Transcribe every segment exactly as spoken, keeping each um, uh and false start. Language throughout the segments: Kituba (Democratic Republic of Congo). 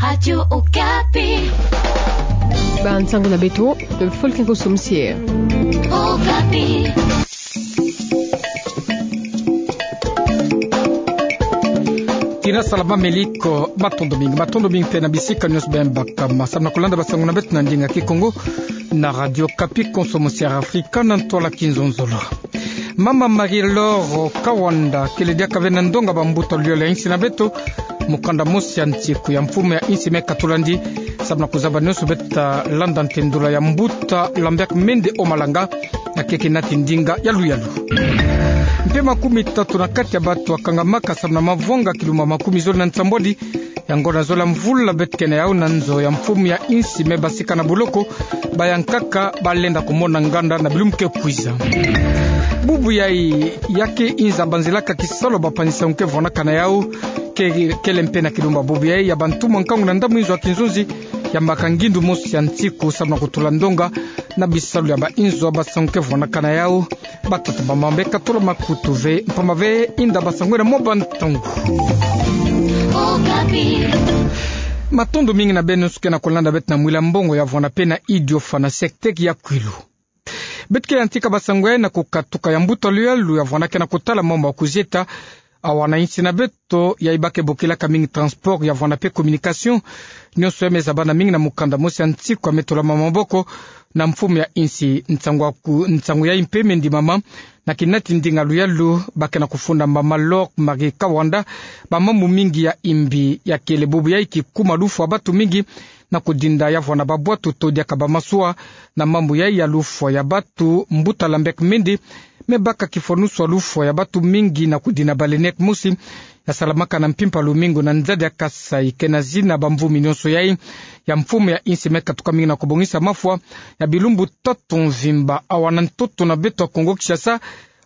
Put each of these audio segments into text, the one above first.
Radio Okapi. Bansango na beto, Folke Nkoso Mosier. Okapi. Tina salama, meliko, matondo mingi, matondo mingi mpe na bisika nyonso beno baka ma samu na kulanda bansango na beto na ndinga Kikongo na Radio Okapi, Nkoso Mosier Afrika na ntwala kinzonzolo. Mama Marie-Laure Kawanda kele diaka ve na ndonga bambuta luyolo ya insi na beto, mukanda mosi ya nsiku ya mfumu ya insi me katulandi, samu na kuzaba nyonso beto ta landa ntendula ya mbuta Lambert Mende Omalanga, na keke nati ndinga ya luyalu. Mpe makumi tatu na kati ya bato wakangamaka samu na mavwanga kilumbu makumi zole na nsambwadi ya ngonda zole ya mvula beto ke na yau na nzo ya mfumu ya insi me basika na boloko, bayankaka balenda kumona nganda na bilumbu ke kwiza. Bubu yai, ya ke inza banzilaka kisalu ya bapanzi-nsangu ke vwanaka na yau, ke, kele mpe na kilumbu bubu yai ya bantumwa nkangu na ndambu inzo ya kinzonzi, yambaka ngindu mosi ya nsiku samu na kutula ndonga na bisalu ya bainzo ya bansangu ke vwanaka na yau. Batata bamama, beka tula makutu ve, mpamba ve inda bansangu ena mwa bantangu. Matondo mingi na beno nyonso ke na kulanda beto na Mwila Mbongo ya vwanda mpe na Idio Fana Sektek ya Kwilu. Beto ke yantika bansangu yai na kukatuka ya mbuta luyalu ya vwanda ke na kutala mambu ya kuzieta, awa na insi na beto, yai ba ke bokilaka mingi transport ya vwanda mpe communication. Nyonso yai me zabana mingi na mukanda mosi ya nsiku ya me tulama maboko na mfumu ya insi. Nsangu ya ku-, nsangu yai mpe me ndimama na kinati ndinga luyalu ba ke na kufunda mama Lor Marie Kawanda, bamambu mingi ya imbi ya kele bubu yai kikuma lufwa ya bato mingi na kudinda ya vwanda babwatu to diaka bamasuwa. Na mambu yai ya lufwa ya bato, mbuta Lambert Mende me baka kifwanusu ya lufwa ya bato mingi na kudinda balenet mosi ya salamaka na mpimpa lumingu na nzadi ya Kasai, ke na zina bamvumi nyonso yai ya mfumu ya insi me katuka mingi na kubongisa mafwa ya bilumbu tatu mvimba. Awa na ntoto na beto ya Kongo Kinshasa,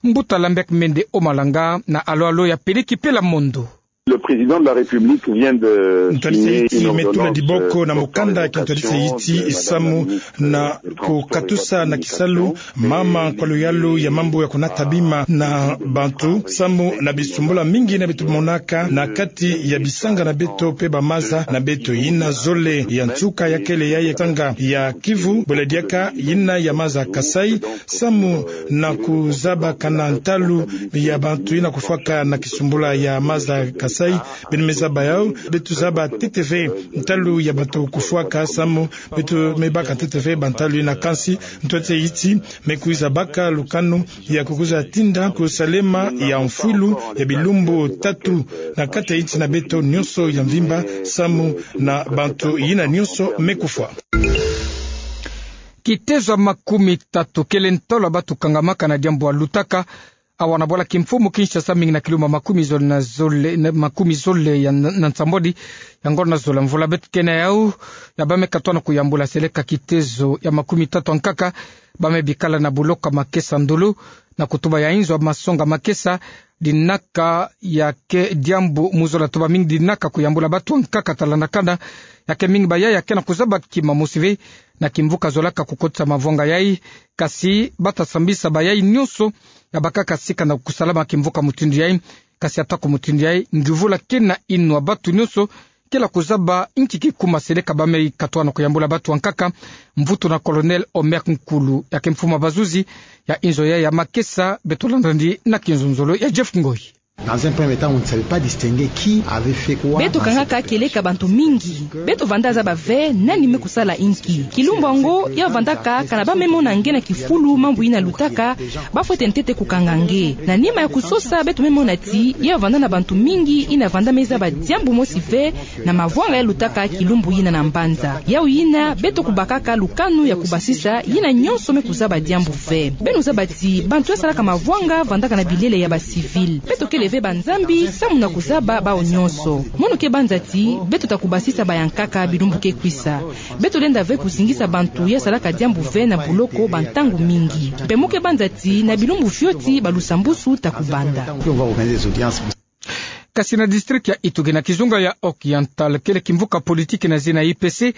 mbuta Lambert Mende Omalanga na alo alo ya Peliki Pela Mondo. Le président de la République vient de signer une ordonnance, euh, portant révocation de Madame Lor Marie Kawanda. Ntwadisi yiti me tula diboko na mukanda ya kintwadisi yiti samu na kukatusa na kisalu mama nkwa luyalu ya mambu ya kunata bima na bantu, samu na bisumbula mingi yina beto monaka na kati ya bisanga na beto mpe bamaza na beto. Yina zole ya nsuka ya kele ya, ya sanga ya Kivu, bole diaka yina ya maza Kasai, samu na kuzabakana ntalu ya bantu yina kufwaka na kisumbula ya maza Kasai. Beno me zaba yau, beto zaba ntete ve ntalu ya bantu kufwaka, samu beto me baka ntete ve bantalu yina. Kansi ntwadisi yiti me kwiza baka lukanu ya kukwiza tinda kusalema ya mfwilu ya bilumbu tatu na kati ya insi na beto nyonso ya mvimba, samu na bantu yina nyonso me kufwa. Kitezo ya makumi tatu kele ntolo ya bato kangamaka na diambu ya lutaka awa na bwala kimfumu Kinshasa, mingi na kilumbu makumi zole na zole, na makumi zole ya n-, na nsambwadi ya ngonda zole ya mvula beto ke na yau, ya ba me katwa na kuyambula seleka kitezo ya makumi tatu ya nkaka ba me bikala na boloko ya Makesa Ndolo, na kutuba ya inzo ya masonga Makesa, dinaka ya ke diambu mu zola tuba mingi dinaka kuyambula bato ya nkaka talandakana, ya ke mingi bayaya ke na kuzaba kima mosi ve na kimvuka zolaka kukotisa mavwanga yai, kasi bata sambisa bayai nyonso ya bakaka sika na kusalama kimvuka mutindu yai. Kasi atako mutindu yai, nguvula ke na inwa, bato nyonso kele kuzaba nki kikuma seleka ba me katwa na kuyambula bato ya nkaka. Mvutu na Colonel Omer Nkulu, ya ke mfumu ya bazuzi ya inzo yai ya Makesa. Beto landa ndi na kinzonzolo ya Jeff Ngoi. Dans un premier temps, on ne savait pas distinguer qui avait fait quoi dans cette opération. Beto kangaka kieleka bantu mingi. Beto vanda zaba ve nani me kusala nki. Kilumbu yango ya vandaka, kana ba me mona nge na kifulu mambu yina lutaka, ba fwete ntete kukanga nge. Na nima ya kusosa, beto me mona ti ya vanda na bantu mingi yina vanda me zaba diambu mosi ve na mavwanga ya lutaka kilumbu yina na mbanza. Yau yina beto kubakaka lukanu ya kubasisa yina nyonso me kuzaba diambu ve. Beno zaba ti bantu ya salaka mavwanga vandaka na bilele ya ba civil. Beto kele ve banzambi samu na kuzaba bawu nyonso. Mono ke banza ti beto ta kubasisa bayankaka bilumbu ke kwisa. Beto lenda ve kuzingisa bantu ya salaka diambu ve na boloko bantangu mingi. Mpe mo ke banza ti na bilumbu fioti balusambusu ta kubanda. Kasi na district ya Ituri na kizunga ya Oriental, kele kimvuka politique na zina I P C,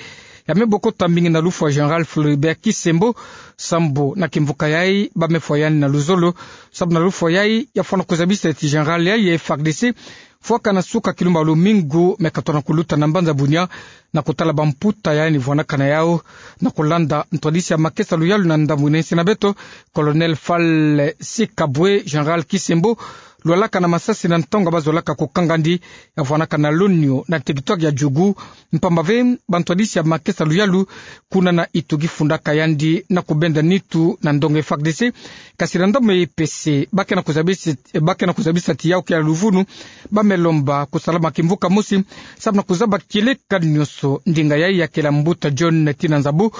ya me bokota mingi na lufwa Général Floribert Kisembo, sambu na kimvuka yai ba me fwa yandi na luzolo, sambu na lufwa yai ya fwana kuzabisa ti général yai ya F A R D C fwaka na suka kilumbu ya lumingu me katwa na kuluta na mbanza Bunia, na kutala bamputa ya yandi vwanakana yau, na kulanda ntwadisi ya makesa luyalu na ndamwina insi na beto, Colonel Fal Sikabwe, Général Kisembo, lwalaka na masasi na ntangu abazolaka kukangandi, ya vwanakana lonio na territoire ya Djugu, mpamba ve bantwadisi ya makesa luyalu, kuna na ituki fundaka yandi na kubenda nitu na ndonga F A R D C, kasi na ndamwina E P C, ba ke na kuzabisa, ba ke na kuzabisa ti yau ke ya luvunu, ba me lomba kusalama kimvuka mosi, samu na kuzaba kieleka nionso ndinga yai ya kele mbuta John Tina Nzabu,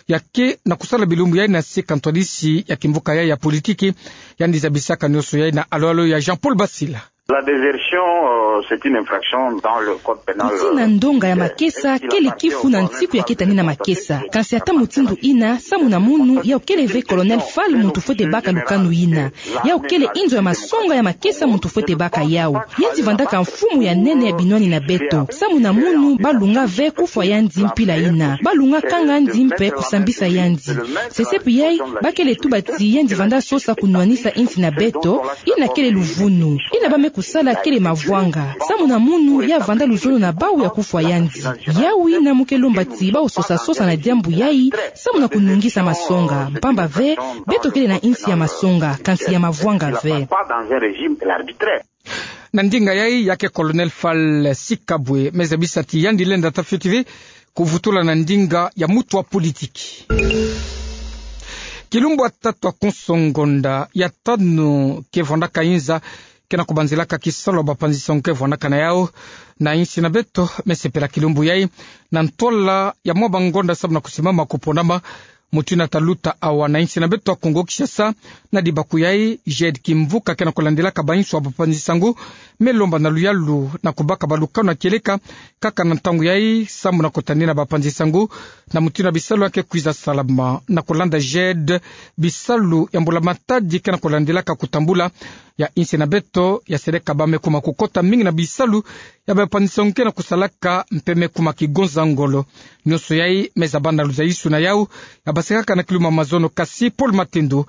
ya ke na kusala bilumbu yai na sika ntwadisi ya kimvuka yai ya politiki, yandi zabisaka nionso yai na alo-alo ya Jean-Paul Basila. La désertion, euh, c'est une infraction dans le code pénal. Ntina ndonga ya makesa kele kifu na nsiku ya ketani na makesa. Kansi ata mutindu ina, samu na munu, yau kele ve Colonel Fal muntu fwete baka lukanu ina. Yau kele inzo ya masonga ya makesa muntu fwete baka yau. Yandi vandaka mfumu ya nene ya binwani na beto. Samu na munu, ba lunga ve kufwa yandi mpila ina. Ba lunga kanga yandi mpe kusambisa yandi. Sesepi yai, ba kele tuba ti yandi vanda sosa kunwanisa insi na beto, ina kele luvunu. Ina ba me kusala kele mavwanga. Samu na munu ya vanda luzolo na bau ya kufwa yandi. Yawi na mu ke lomba ti bau sosa-sosa na diambu yai, samu na kunungisa masonga. Mpamba ve, beto kele na insi ya masonga, kansi ya mavwanga ve. Na ndinga yai ya ke Colonel Fal Sikabwe, me zabisa ti yandi lenda ta fioti ve kuvutula na ndinga ya mutu wa politiki. Kilumbu ya tatu ya konso ngonda ya tanu ke vwandaka inza, ke na kubanzilaka kisalu ya bapanzi-nsangu ke vwandaka na yau na insi na beto, me sepela kilumbu yai na ntwala ya mwa bangonda samu na kusimama kuponama. Mutu ina ta luta awa na insi na beto ya Kongo Kinshasa, na dibaku yai, Jade Kimvuka ke na kulandilaka bainsu ya bapanzi-nsangu, me lomba na luyalu na kubaka balukanu ya kieleka, kaka na ntangu yai, samu na kutani na bapanzi-nsangu, na mutu ina bisalu ya ke kwiza salama, na kulanda Jade, bisalu ya mbula matadi ke na kulandilaka kutambula, ya insi na beto, ya seleka ba me kuma kukota mingi na bisalu ya bapanzi-nsangu ke na kusalaka mpe me kuma kigonza ngolo. Nionso yai me zaba na luzayisu na yau, ya basekaka na kiluma mazono kasi Paul Matendo,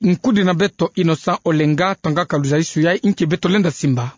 nkudi na beto Innocent Olenga, tangaka luzayisu yai nki beto lenda simba.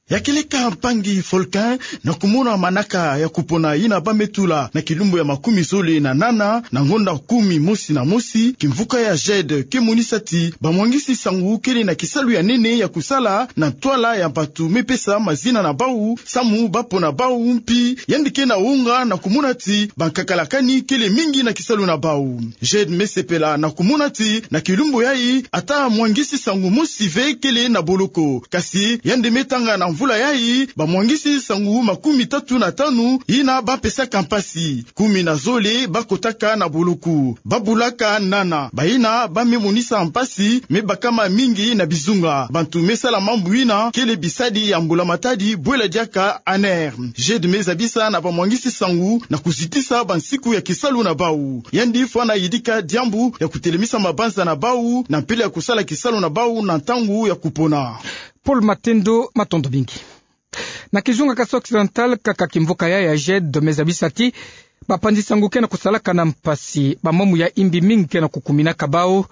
Ya kieleka mpangi Volcan, na kumona manaka ya kupona ina ba me tula na kilumbu ya makumi zole na nana, na ngonda kumi mosi na mosi, kimvuka ya Jade ke monisa ti bamwangisi-nsangu kele na kisalu ya nene ya kusala na ntwala ya bantu me pesa mazina na bau, samu ba pona bau mpi, yandi ke na wonga na kumona ti bankakalakani kele mingi na kisalu na bau. Jade me sepela na kumona ti na kilumbu yai, ata mwangisi-nsangu mosi ve kele na boloko. Kasi yandi me tanga na mvula yai bamwangisi-nsangu makumi tatu na tanu ina ba pesaka mpasi. Kumi na zole ba kotaka na boloko. Ba bulaka nana. Baina ba me monisa mpasi me bakama mingi na bizunga. Bantu me sala mambu ina kele bisadi ya mbula matadi bwela diaka A N R. Jade me zabisa na bamwangisi-nsangu na kuzitisa bansiku ya kisalu na bau. Yandi fwana yidika diambu ya kutelemisa mabanza na bau, na mpila ya kusala kisalu na bau na ntangu ya kupona. Paul Matendo, matondo mingi. Na kizunga Kasaï Occidental, kaka kimvuka yai ya Jade me zabisa ti bapanzi-nsangu ke na kusalaka na mpasi, bamamu ya imbi mingi ke na kukuminaka bau,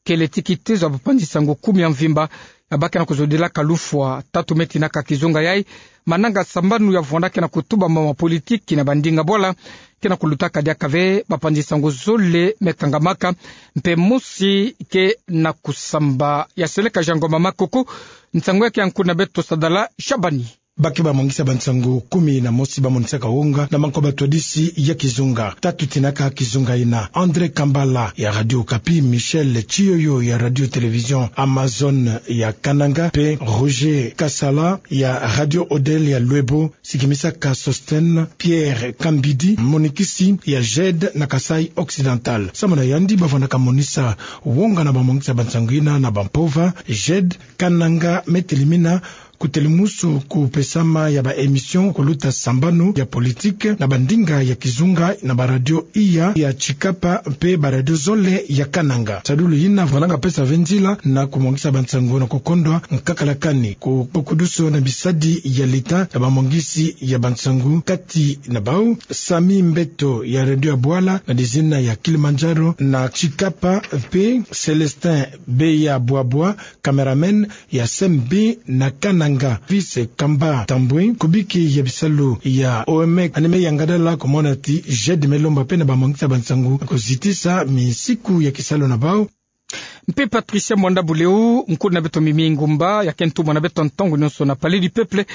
kele ti kitezo ya bapanzi-nsangu kumi ya mvimba, ya ba ke na kuzodilaka lufwa. Tatu me tinaka kizunga yai, mananga sambanu ya vwanda ke na kutuba mama politiki na bandinga bwala, ke na kulutaka diaka ve, bapanzi-nsangu zole me kangamaka, mpe mosi ke na kusamba. Ya seleka Jean Ngoma Makoko, nsangu ya ke ya nkuna beto Sadala Shabani. Ba ke bamwangisi ya bansangu kumi na mosi ba monisaka wonga na manko batwadisi ya kizunga. Tatu tinaka kizunga ina: André Kambala ya Radio Okapi, Michel Tshiyoyo ya Radio Télévision Amazone ya Kananga, mpe Roger Kasala ya Radio Odele ya Luebo, sikimisaka Sosthène Pierre Kambidi, monikisi ya Jade na Kasaï Occidental. Samu na yandi bavwandaka monisa wonga na bamwangisi ya bansangu ina na bampova, Jade Kananga me telimina kutelemusu kupesama ya ba émission kuluta sambanu ya politiki na bandinga ya kizunga na baradio iya ya Tshikapa mpe baradio zole ya Kananga. Sadulu ina vwandaka pesa ve nzila na kumwangisa bansangu na kukondwa nkakalakani, kubokuduso na bisadi ya leta na bamwangisi ya bansangu, kati na bau Sami Mbeto ya Radio ya Bwala na dizina ya Kilimanjaro na Tshikapa, mpe Célestin Beya Bwabwa, cameraman ya S M B na Kananga. Nanga Fils Kamba Tambwe, kubiki ya bisalu ya O M E, ane me yangada la kumona ti Jade Melomba pene ba mangita ba nsangu, kuzitisa misiku ya kisalu na bau. Mpe Patricia Mwanda Buleu, nkulu na beto Mimi Ngumba, ya ke ntumwa na beto ntangu nyonso na Palais du Peuple,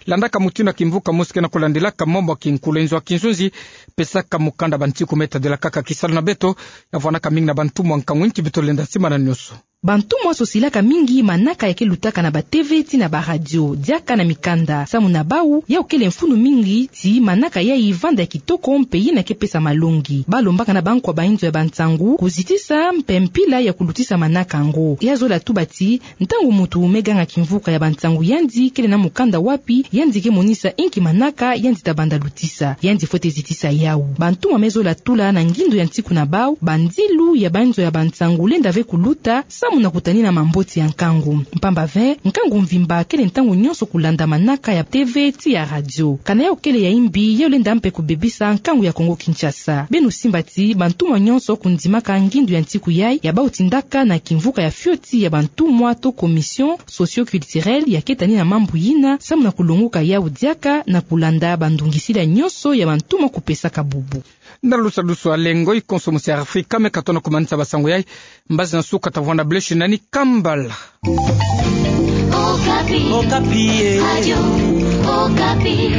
landaka mutindu ya kimvuka mosi ke na kulandilaka mambu ya kinkulu. Nzo ya kinzonzi, pesaka mukanda bantiku me tadilakaka kisalu na beto, ya vwanaka mingi na bantumwa nkangu nti beto lenda simana nyonso. Bantumwa sosilaka mingi manaka ya ke lutaka na ba T V ti na ba radio, diaka na mikanda. Samu na bau, yau kele mfunu mingi ti manaka yayi vanda ya kitoko mpe yina ke pesa malongi. Balombaka na bankwa ba inzo ya bansangu kuzitisa mpe mpila ya kulutisa manaka yango. Ya zola tuba ti, ntangu muntu me ganga kimvuka ya bansangu yandi kele na mukanda wapi yandi ke monisa inki manaka yandi ta banda lutisa, yandi fwete zitisa yau. Bantumwa me zola tula na ngindu ya ntiku na bau, bandilu ya ba inzo ya bansangu lenda ve kuluta, samu na kutanina mamboti ya nkangu. Mpamba ve, nkangu mvimba kele ntangu nyonso kulanda manaka ya T V ti ya radio. Kana yau kele ya imbi, yau lenda mpe kubebisa nkangu ya Kongo Kinshasa. Beno simba ti bantumwa nyonso kundimaka ngindu ya ntiku yayi ya bau tindaka na kimvuka ya fioti ya bantumwa to commission socio-culturelle ya ke tanina mambu yina, samu na kulonguka yau diaka na kulanda bandungisila nyonso ya bantumwa kupesaka bubu. Na lusadusu a lengo, i konso mosi ya Afrika me ka tona kumanisa basangu yayi. Mbazi na suka ta vwanda bleshi nani kambala. Okapi. Okapi, eh. Radio Okapi.